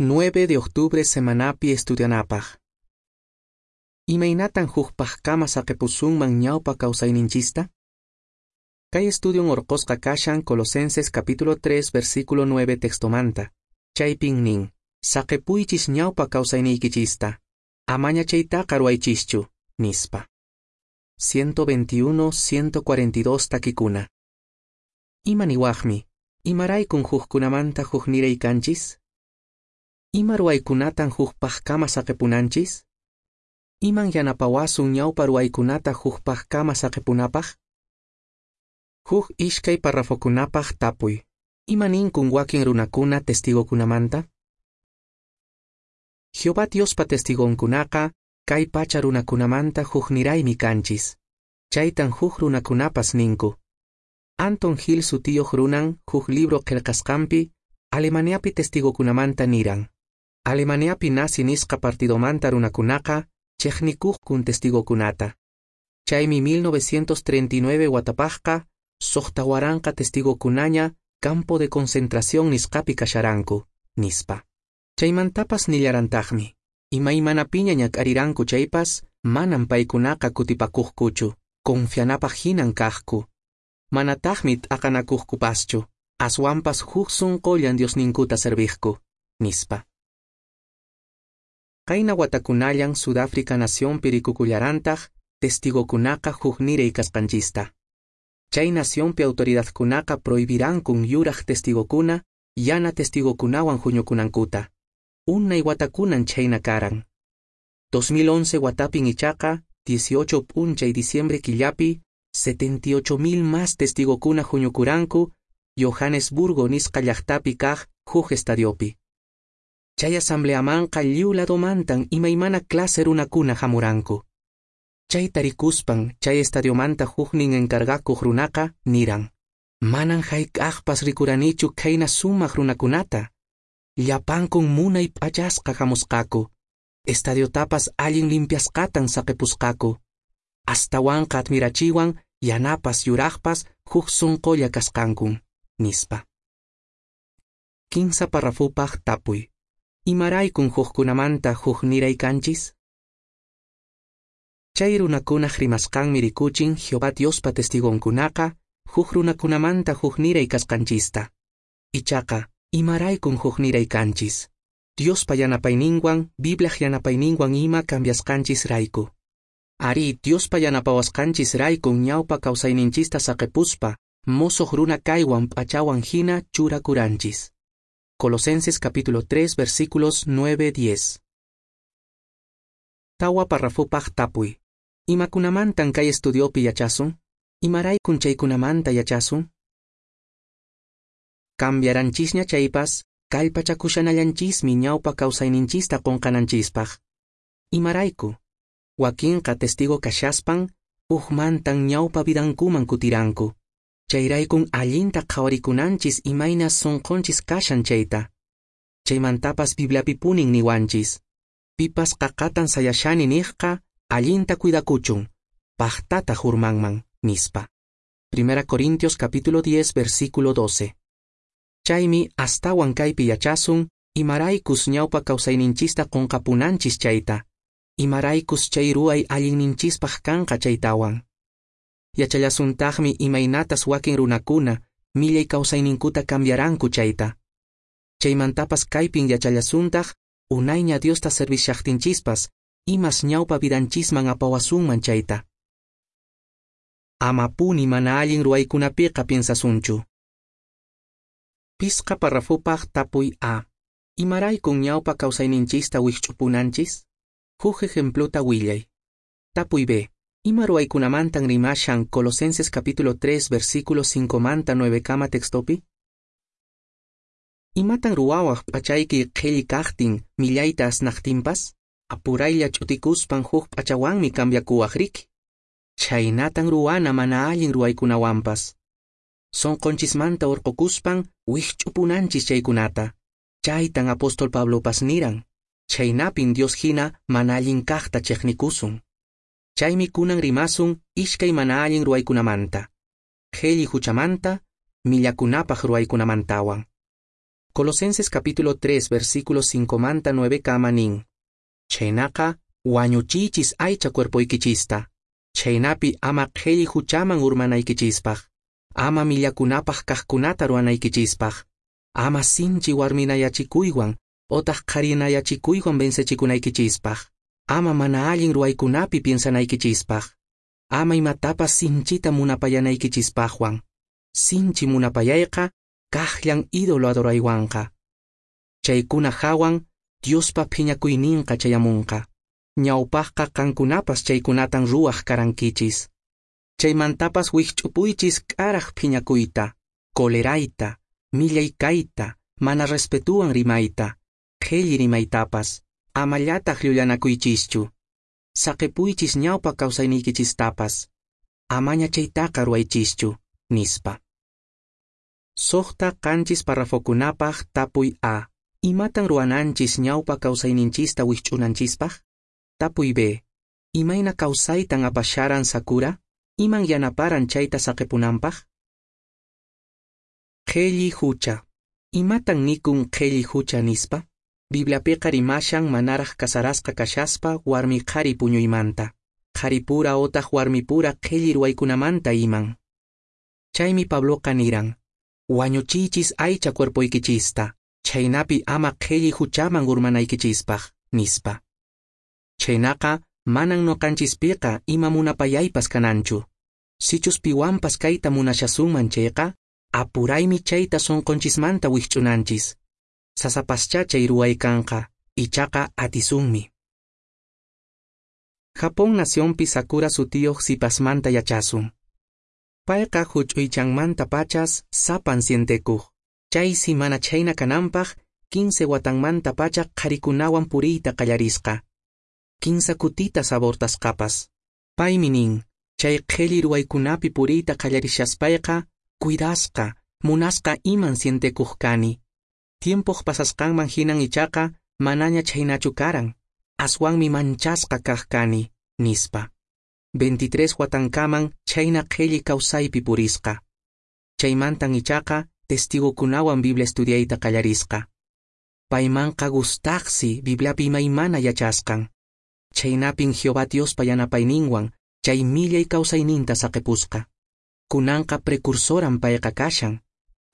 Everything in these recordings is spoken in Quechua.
9 de octubre semanapi estudianapaq. Imaynatan hukpaqkama saqipusunman ñawpa kawsayninchista? Kay estudion orqosqa kashan Colosenses capítulo 3 versículo 9 textomanta. Chaypin nin, saqipuychis ñawpa kawsayniykichista, amaña chaytaqa ruwaychischu, nispa. 121, 142 takikuna. Ima niwaqmi, imaraykun hukkunamanta hukniray kanchis? Ima ruwaykunatan hukpaqkama saqipunanchis? Iman yanapawasun ñawpa ruwaykunata hukpaqkama saqipunapaq? Huk ishkay parrafokunapaq tapuy. Ima ninkun wakin runakuna testigokunamanta? Jehová Diospa testigonkunaqa kay pacha runakunamanta hukniraymi kanchis. Chaytan huk runakunapas ninku. Anton Hill sutiyuq runan huk libro qillqasqanpi Alemaniapi testigokunamanta niran. Alemaniapi nazi nisqa partidomanta runakunaqa chiqnikuqkun testigokunata. Chaymi 1939 watapaqqa 6000 testigokunaña campo de concentración nisqapi kasharanku, nispa. Chaymantapas nillarantaqmi, imaymanapiña ñak'ariranku chaypas, manan paykunaqa kutipakuqkuchu, confianapaq hinan kaqku. Manataqmi t'aqanakuqkupaschu, aswanpas huk sunqullan Diosninkuta serviqku, nispa. Qayna watakunallan Sudáfrica nacionpi rikukullarantaq testigokunaqa hukniray kasqanchista. Chay nacionpi autoridadkunaqa prohibirankun yuraq testigokuna, yana testigokunawan huñukunankuta. Unay watakunan chhayna karan. 2011 watapin ichaqa, 18 p'unchay diciembre killapi, 78,000 más testigokuna huñukuranku Johannesburgo nisqa llaqtapi kaq huk estadiopi. Chay asambleamanqa lliw ladomantan imaymana clase runakuna hamuranku. Chayta rikuspan chay estadiomanta huknin encargakuq runaqa niran: Manan hayk'aqpas rikuranichu khayna sumaq runakunata. Llapankun munay p'achasqa hamusqaku. Estadiotapas allin limpiasqatan saqipusqaku. Astawanqa admirachiwan yanapas yuraqpas huk sunqulla kasqankun, nispa. Kinsa parrafupaq tapuy. Imaraykun hukkunamanta hukniray kanchis? Chay runakunaq rimasqanmi rikuchin Jehová Diospa testigonkunaqa huk runakunamanta hukniray kasqanchista. Ichaqa, imaraykun hukniray kanchis? Diospa yanapayninwan, Bibliaq yanapayninwan ima cambiasqanchis rayku. Ari, Diospa yanapawasqanchis raykun ñawpa kawsayninchista saqipuspa, mosoq runa kaywan p'achawan hina churakuranchis. Colosenses capítulo 3 versículos 9-10. Tawa parrafupaq tapuy. Imakunamantan kay estudiopi yachasun? Imaraykun chaykunamanta yachasun? Cambiaranchisña chaypas, kallpachakushanallanchismi ñawpa kawsayninchista qunqananchispaq. Imarayku? Wakinqa testigo kashaspan, hukmantan ñawpa vidankuman kutiranku. Chayraykun allinta qhawarikunanchis imayna sunqunchis kashan chayta. Chaymantapas Bibliapipunin niwanchis. Pipas qaqatan sayashani niqqa, allinta cuidakuchun, paqtataq urmanman, nispa. 1 Corintios capítulo 10 versículo 12. Chaymi astawan kaypi yachasun, imaraykus ñawpa kawsayninchista qunqapunanchis chayta, imaraykus chay ruway allinninchispaq kanqa chaytawan. Yachallasuntaqmi imaynatas wakin runakuna millay kawsayninkuta cambiaranku chayta. Chaymantapas kaypin yachallasuntaq unayña Diosta servishaqtinchispas imas ñawpa vidanchisman apawasunman chayta. Amapuni mana allin ruwaykunapiqa piensasunchu. Pisqa parrafupaq tapuy A. Imaraykun ñawpa kawsayninchista wikch'upunanchis? Huk ejempluta willay. Tapuy B. Ima ruwaykunamantan rimashan Colosenses capítulo 3 versículo 5 manta 9 kama textopi? Imatan ruwawaq p'achayki qhilli kaqtin millayta asnaqtinpas? Apuraylla ch'utikuspan huk p'achawanmi cambiakuwaq riki. Chhaynatan ruwana mana allin ruwaykunawanpas. Sunqunchismanta urqukuspan wikch'upunanchis chaykunata. Chaytan apóstol Pablopas niran. Chhaynapin Dios hina mana allin kaqta chiqnikusun. Chaymi kunan rimasun ishkay mana allin ruwaykunamanta. Qhilli huchamanta, millakunapaq ruwaykunamantawan. Colosenses capítulo 3 versículo 5 manta 9 kama nin. Chhaynaqa wañuchiychis aycha cuerpoykichista. Chhaynapi ama qhelli huchaman urmanaykichispaq. Ama millakunapaq kaqkunata ruwanaykichispaq. Ama sinchi warminayachikuywan otaq qharinayachikuywan vencechikunaykichispaq. Ama mana allin ruwaykunapi piensanaykichispaq. Ama imatapas sinchita munapayanaykichispaqwan. Sinchi munapayayqa kaqllan ídolo adoraywanqa. Chaykuna hawan Diospa phiñakuyninqa chayamunqa. Ñawpaqqa qankunapas chaykunatan ruwaq karankichis. Chaymantapas wikch'upuychis k'araq phiñakuyta, colerayta, millay kayta, mana respetuwan rimayta, qhelli rimaytapas, amallataq llullanakuychischu. Saqepuychis ñawpa kawsayniykichistapas, amaña chaytaqa ruwaychischu, nispa. 6-7 parrafokunapaq tapuy A. Imatan ruwananchis ñawpa kawsayninchista wikch'unanchispaq? Tapuy B. Imayna kawsaytan apasharan Sakura? Iman yanaparan chayta saqepunanpaq? Qhelli hucha. Imatan nikun qhelli hucha nispa? Bibliapiqa rimashan manaraq casarasqa kashaspa warmi qhari puñuymanta, qharipura otaq warmipura qhelli ruwaykunamanta iman. Chaymi Pabloqa niran, wañuchiychis aycha cuerpoykichista, chhaynapi ama qhelli huchaman urmanaykichispaq, nispa. Chhaynaqa manan noqanchispiqa ima munapayaypas kananchu. Sichus piwanpas kayta munashasunman chayqa, apuraymi chayta sonqonchismanta wikch'unanchis. Sasapascha chay ruway kanqa, ichaqa atisunmi. Japón nacionpi Sakura sutiyuq sipasmanta yachasun. Payqa huch'uychanmanta pachas sapan sientekuq. Chaysi mana chhayna kananpaq 15 watanmanta pacha qharikunawan puriyta qallarisqa. 15 kutitas abortasqapas. Paymi nin, chay qhelli ruwaykunapi puriyta qallarishaspayqa, cuidasqa, munasqa iman sientekuq kani. Tiempoq pasasqanman hinan ichaqa manaña chhaynachu karan, aswanmi manchasqa kaq kani, nispa. 23 watankaman chhayna qhelli kawsaypi purisqa. Chaymantan ichaqa testigokunawan Biblia estudiayta qallarisqa. Paymanqa gustaqsi Bibliapi imaymana yachasqan. Chhaynapin Jehová Diospa yanapayninwan chay millay kawsayninta saqepusqa. Kunanqa precursoran payqa kashan,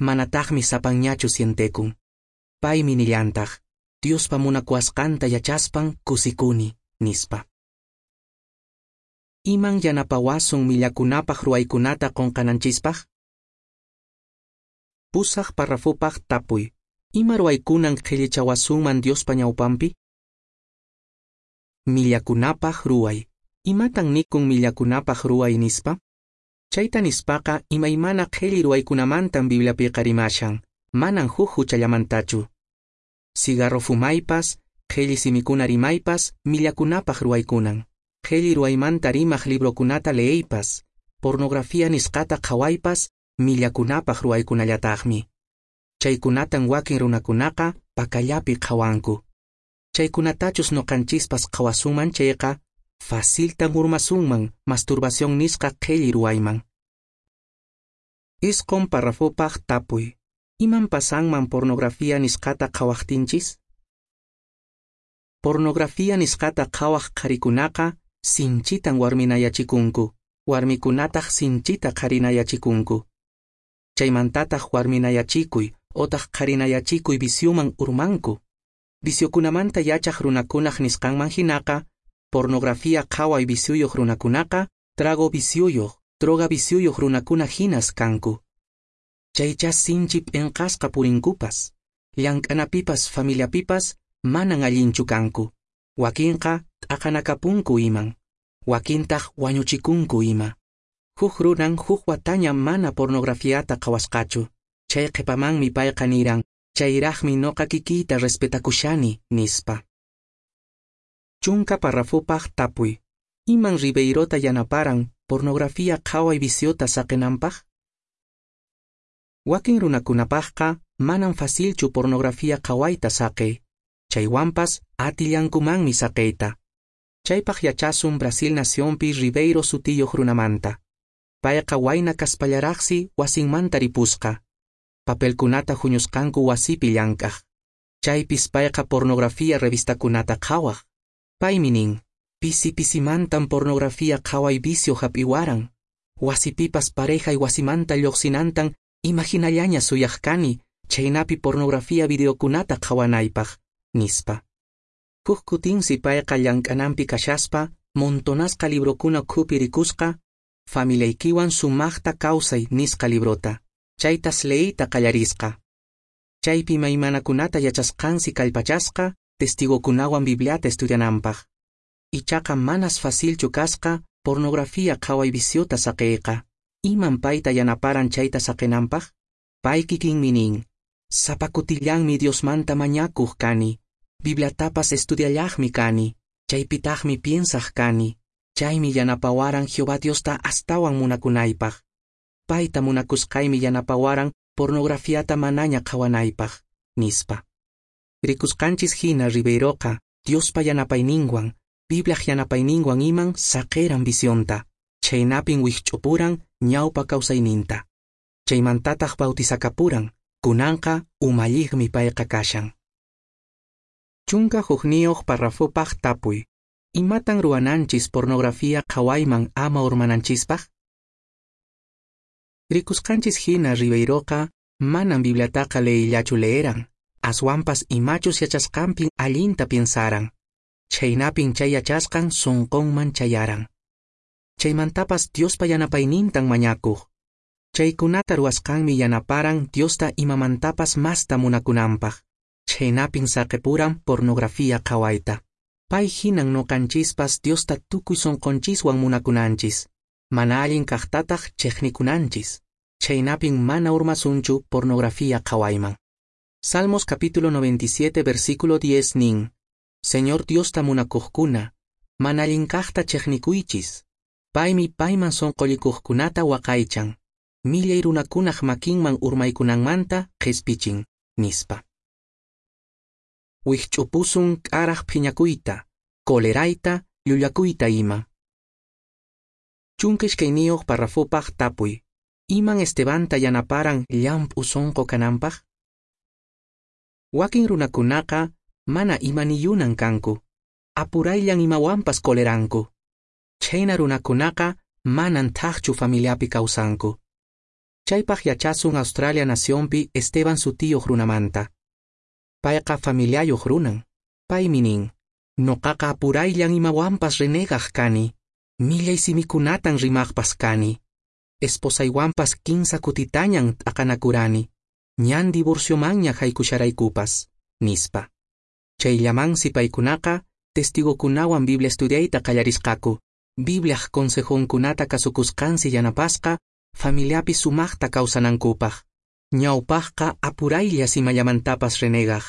manataqmi sapanñachu sientekun. Paymi nillantaq, Diospa munakuwasqanta yachaspan kusikuni, nispa. Iman yanapawasun millakunapaq ruwaykunata qonqananchispaq? 8 parrafopaq tapuy. Ima ruwaykunan qhellichawasunman Diospa ñawpanpi? Millakunapaq ruway. Imatan nikun millakunapaq ruway nispa? Chayta nispaqa imaymana qhelli ruwaykunamantan Bibliapiqa rimashan, manan huk huchallamantachu. Cigarro fumaypas, qhelli simikuna rimaypas, millakunapaq ruwaykunan. Qhelli ruwaymanta rimaq librokunata leeypas, pornografía nisqata qhawaypas, millakunapaq ruwaykunallataqmi. Chaykunatan wakin runakunaqa pakallapi qhawanku. Chaykunatachus noqanchispas qhawasunman chayqa, faciltan urmasunman masturbación nisqa qhelli ruwayman. 9 parrafopaq tapuy. Iman pasanman pornografía nisqata qhawaqtinchis? Pornografía nisqata qhawaq qharikunaqa sinchitan warminayachikunku, warmikunataq sinchita qharinayachikunku. Chaymantataq warminayachikuy otaq qharinayachikuy vicioman urmanku. Viciokunamanta yachaq runakunaq nisqanman hinaqa, pornografía qhaway vicioyuq runakunaqa, trago vicioyuq, droga vicioyuq runakuna hinas kanku. Chaycha sinchi p'inqasqa purinkupas, llank'anapipas familiapipas manan allinchu kanku. Wakinqa t'aqanakapunku iman, wakintaq wañuchikunku ima. Huk runan huk wataña mana pornografiata qhawasqachu. Chay qhipamanmi payqa niran, chayraqmi noqa kikiyta respetakushani, nispa. 10 parrafopaq tapuy. Iman Ribeirota yanaparan pornografía qhaway viciota saqenanpaq? Wakin runakunapaqqa manan facilchu pornografía qhawayta saqey. Chaywanpas atillankumanmi saqeyta. Chaypaq yachasun Brasil nacionpi Ribeiro sutiyuq runamanta. Payqa wayna kaspallaraqsi wasinmanta ripusqa. papelkunata huñusqanku wasipi llank'aq. Chaypis payqa pornografía revistakunata qhawaq. Paymi nin, pisi-pisimantan pornografía qhaway vicio hap'iwaran. Wasipipas parejay wasimanta lluqsinantan imaginallaña suyaq kani, chhaynapi pornografía videokunata qhawanaypaq, nispa. Huk kutinsi payqa llank'ananpi kashaspa, montonasqa librokuna ukhupi rikusqa, Familiaykiwan sumaqta kawsay nisqa librota, chaytas leeyta qallarisqa. Chaypi imaymanakunata yachasqansi kallpachasqa, testigokunawan Bibliata estudiananpaq. Ichaqa manas facilchu kasqa pornografía qhaway viciota saqeyqa. Iman payta yanaparan chayta saqenanpaq? Pay kikinmi nin, sapa kutillanmi Diosmanta mañakuq kani, Bibliatapas estudiallaqmi kani, chaypitaqmi piensaq kani, chaymi yanapawaran Jehová Diosta astawan munakunaypaq. Payta munakusqaymi yanapawaran pornografiata manaña qhawanaypaq, nispa. Rikusqanchis hina Ribeiroqa Diospa yanapayninwan, Bibliaq yanapayninwan iman saqeran vicionta, chhaynapin wikch'upuran ñawpa kawsayninta. Chaymantataq bautizakapuran, kunanqa umalliqmi payqa kashan. 11 parrafopaq tapuy. Imatan ruwananchis pornografía qhawayman ama urmananchispaq? Rikusqanchis hina Ribeiroqa manan Bibliataqa leeyllachu leeran, aswanpas imachus yachasqanpin allinta piensaran. Chhaynapin chay yachasqan sunqunman chayaran. Chaymantapas Diospa yanapaynintan mañakuq. Chaykunata ruwasqanmi yanaparan Diosta imamantapas masta munakunanpaq. Chhaynapin saqepuran pornografía qhawayta. Pay hinan noqanchispas Diosta tukuy sunqunchiswan munakunanchis. Mana allin kaqtataq chiqnikunanchis. Chhaynapin mana urmasunchu pornografía qhawayman. Salmos capítulo 97 versículo 10 nin, Señor Diosta munakuqkuna, mana allin kaqta chiqnikuychis. Paymi payman sunqullikuqkunata waqaychan, millay runakunaq makinman urmaykunanmanta qhispichin, nispa. Wikch'upusun k'araq phiñakuyta, colerayta, llullakuyta ima. 12 parrafopaq tapuy. Iman Estebanta yanaparan llamp'u sunqu kananpaq? Wakin runakunaqa mana imaniyunan kanku, apurayllan imawanpas coleranku. Chhayna runakunaqa manan thaqchu familiapi kawsanku. Chaypaq yachasun Australia nacionpi Esteban sutiyuq runamanta. Payqa familiayuq runan. Paymi nin, noqaqa apurayllan imawanpas renegaq kani, millay simikunatan rimaqpas kani. Esposaywanpas 15 kutitañan t'aqanakurani, ñan divorciomanña haykusharaykupas, nispa. Chayllamansi paykunaqa testigokunawan Biblia estudiayta qallarisqaku, Bibliaq consejonkunata kasukusqansi yanapasqa familiapi sumaqta kawsanankupaq. Ñawpaqqa apuraylla imallamantapas renegaq,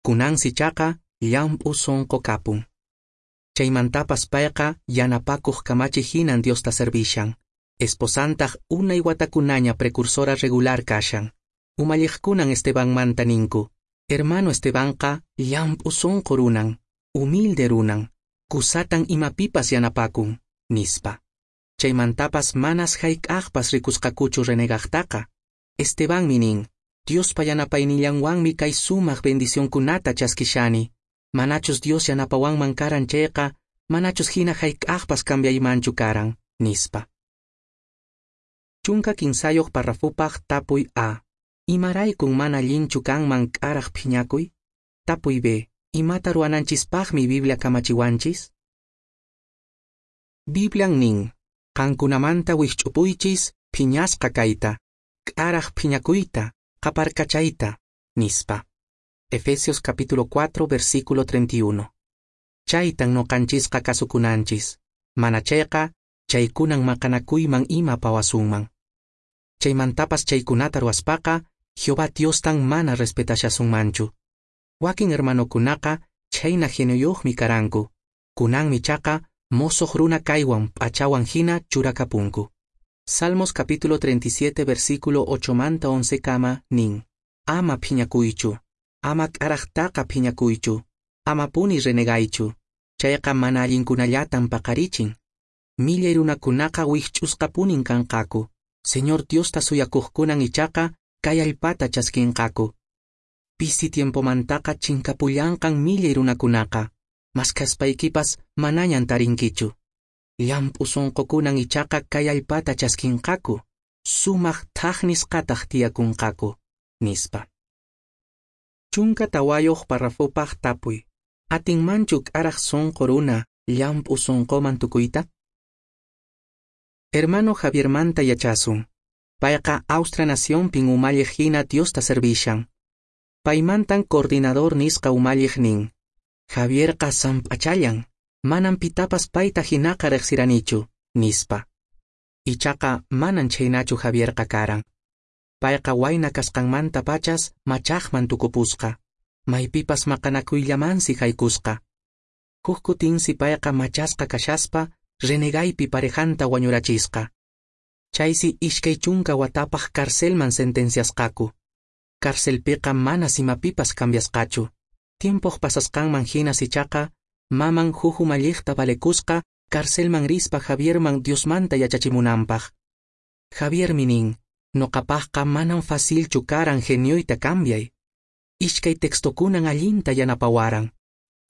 kunansi chaqa llamp'u sunqu kapun. Chaymantapas payqa yanapakuq kamachi hinan Diosta servishan. Esposantaq unay watakunaña precursora regular kashan. Umalliqkunan Estebanmanta ninku, hermano Estebanqa llamp'u sunqu runan, humilde runan, kusatan imapipas yanapakun, nispa. Chaymantapas manas hayk'aqpas rikusqakuchu renegaqtaqa. Estebanmi nin, Diospa yanapaynillanwanmi kay sumaq bendicionkunata chaskishani. Manachus Dios yanapawanman karan chayqa, manachus hina hayk'aqpas cambiaymanchu karan, nispa. 13 parrafopaq tapuy A. Imaraykun mana allinchu kanman k'araq phiñakuy? Tapuy B. Imata ruwananchispaqmi Biblia kamachiwanchis? Biblian nin, qankunamanta wikch'upuychis phiñasqa kayta, k'araq phiñakuyta, qaparkachayta, nispa. Efesios capítulo 4 versículo 31. Chaytan noqanchisqa kasukunanchis, mana chayqa chaykunan maqanakuyman ima pawasunman. Chaymantapas chaykunata ruwaspaqa Jehová Diostan mana respetashasunmanchu. Wakin hermanokunaqa chhayna genioyuqmi karanku, kunanmi chaqa mosoq runa kaywan p'achawan hina churakapunku. Salmos capítulo 37 versículo 8 manta 11 kama nin, ama phiñakuychu, ama k'araqtaqa phiñakuychu, ama puni renegaychu, chayqa mana allinkunallatan paqarichin. Millay runakunaqa wikch'usqapunin kanqaku, Señor Diosta suyakuqkunan ichaqa kay allpata chaskinqaku. Pisi tiempomantaqa chinkapullanqan millay runakunaqa, maskhaspaykipas manañan tarinkichu. Llamp'u sonqokunan ichaqa kay allpata chaskinqaku, sumaq thaj nisqataq tiyakunqaku, nispa. 14 parrafopaq tapuy. Atinmanchu k'araq sonqo runa llamp'u sonqoman tukuyta? Hermano Javiermanta yachasun. Payqa Austria nacionpin umalliq hina Diosta servishan. Paymantan coordinador nisqa umalliq nin. Javierqa samp'achallan, manan pitapas payta hinaqa riqsiranichu, nispa. Ichaqa manan chhaynachu Javierqa karan. Payqa wayna kasqanmanta pachas machaqman tukupusqa, maypipas maqanakuyllamansi haykusqa. Huk kutinsi payqa machasqa kashaspa renegaypi parejanta wañurachisqa. Chaysi 20 watapaq carcelman sentenciasqaku. Carcelpiqa manas imapipas cambiasqachu. Tiempoq pasasqanman hinas ichaqa, maman huk umalliqta valekusqa carcelman rispa Javierman Diosmanta yachachimunanpaq. Javiermi nin, noqapaqqa manan facilchu karan genioyta cambiay. Ishkay textokunan allinta yanapawaran.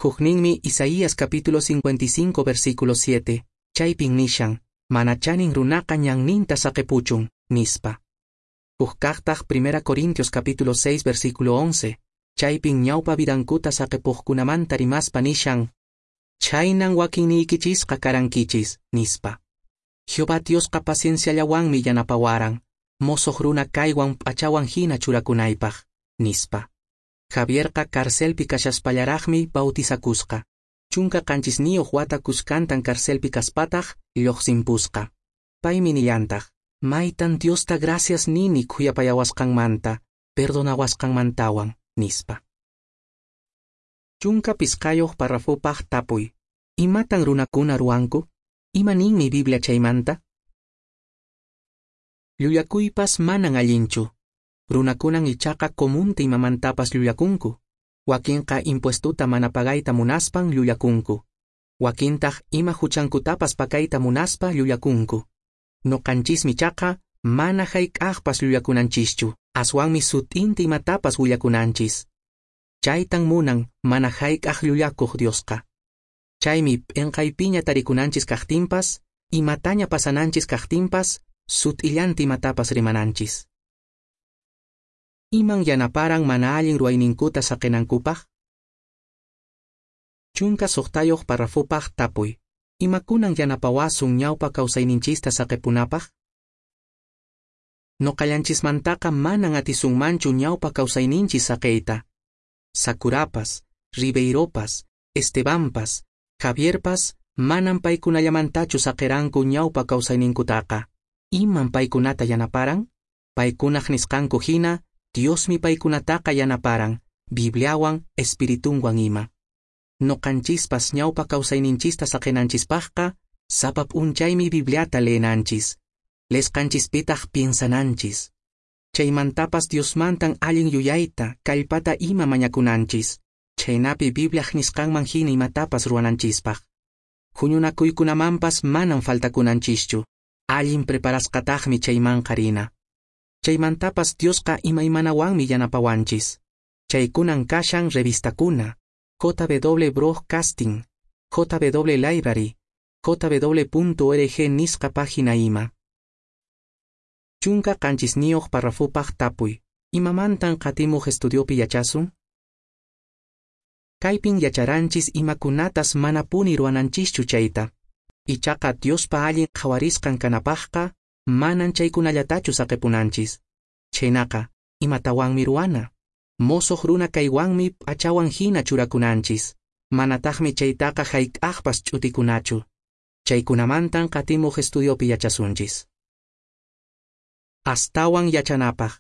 Hukninmi Isaías capítulo 55 versículo 7, chaypin nishan, mana chanin runaqa ñanninta saqepuchun, nispa. Hukkaqtaq 1 Corintios capítulo 6 versículo 11, chaypin ñawpa vidankuta saqepuqkunamanta rimaspa nishan, chaynan wakinniykichisqa karankichis, nispa. Jehová Diosqa pacienciallawanmi yanapawaran, mosoq runa kaywan p'achawan hina churakunaypaq, nispa. Javierqa carcelpi kashaspallaraqmi bautizakusqa. 17 wata kuskantan carcelpi kaspataq lluqsinpusqa. Paymi nillantaq, maytan Diosta gracias nini khuyapayawasqanmanta, perdonawasqanmantawan, nispa. 15 parrafopaq tapuy. Imatan runakuna ruwanku? Ima ninmi Biblia chaymanta? Llullakuypas manan allinchu. Runakunan ichaqa comunta imamantapas llullakunku. Wakinqa impuestuta mana pagayta munaspan llullakunku. Wakintaq ima huchankutapas pakayta munaspa llullakunku. Noqanchismi ichaqa mana hayk'aqpas llullakunanchischu, aswanmi sut'inta imatapas willakunanchis. Chaytan munan mana hayk'aq llullakuq Diosqa. Chaymi p'inqaypiña tarikunanchis kaqtinpas, imataña pasananchis kaqtinpas, sut'illanta imatapas rimananchis. Iman yanaparan mana allin ruwayninkuta saqinankupaq? 16 parrafopaq tapuy. Imakunan yanapawasun ñawpa kawsayninchista saqipunapaq? Noqallanchismantaqa manan atisunmanchu ñawpa kawsayninchis saqiyta. Sakurapas, Ribeiropas, Estebanpas, Javierpas manan paykunallamantachu saqiranku ñawpa kawsayninkutaqa. Iman paykunata yanaparan? Paykunaq nisqanku hina, Diosmi paykunataqa yanaparan, Bibliawan, Espiritunwan ima. Noqanchispas ñawpa kawsayninchista saqinanchispaqqa, sapa p'unchaymi Bibliata leenanchis. Leesqanchispitaq piensananchis. Chaymantapas Diosmantan allin yuyayta, kallpata ima mañakunanchis. Chaynapi Bibliaq nisqanman hina imatapas ruwananchispaq. Huñunakuykunamanpas manan faltakunanchischu. Allin preparasqataqmi chaymanqa rina. Chaymantapas Diosqa imaymanawanmi yanapawanchis. Chaykunan kashan revistakuna, JW Broadcasting, JW Library, jw.org nisqa página ima. 17 parrafopaq tapuy. Imamantan qatimuq estudiopi yachasun? Kaypin yacharanchis imakunatas manapuni ruwananchischu chayta. Ichaqa Diospa allin qhawarisqan kanapaqqa manan chaykunallatachu saqipunanchis. Chhaynaqa, imatawanmi ruwana? Mosoq runa kaywanmi p'achawan hina churakunanchis. Manataqmi chaytaqa hayk'aqpas ch'utikunachu. Chaykunamantan qatimuq estudiopi yachasunchis. Astawan yachanapaq.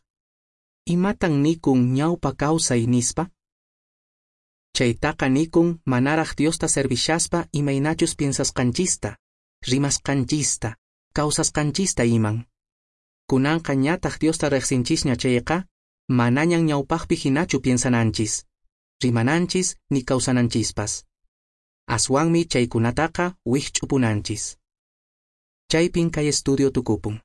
Imatan nikun ñawpa kawsay nispa? Chaytaqa nikun manaraq Diosta servishaspa imaynachus piensasqanchista, rimasqanchista, kawsasqanchista iman. Kunanqa ñataq Diosta riqsinchisña chayqa, manañan ñawpaqpi hinachu piensananchis, rimananchis ni kawsananchispas. Aswanmi chaykunataqa wikch'upunanchis. Chaypin kay estudio tukupun.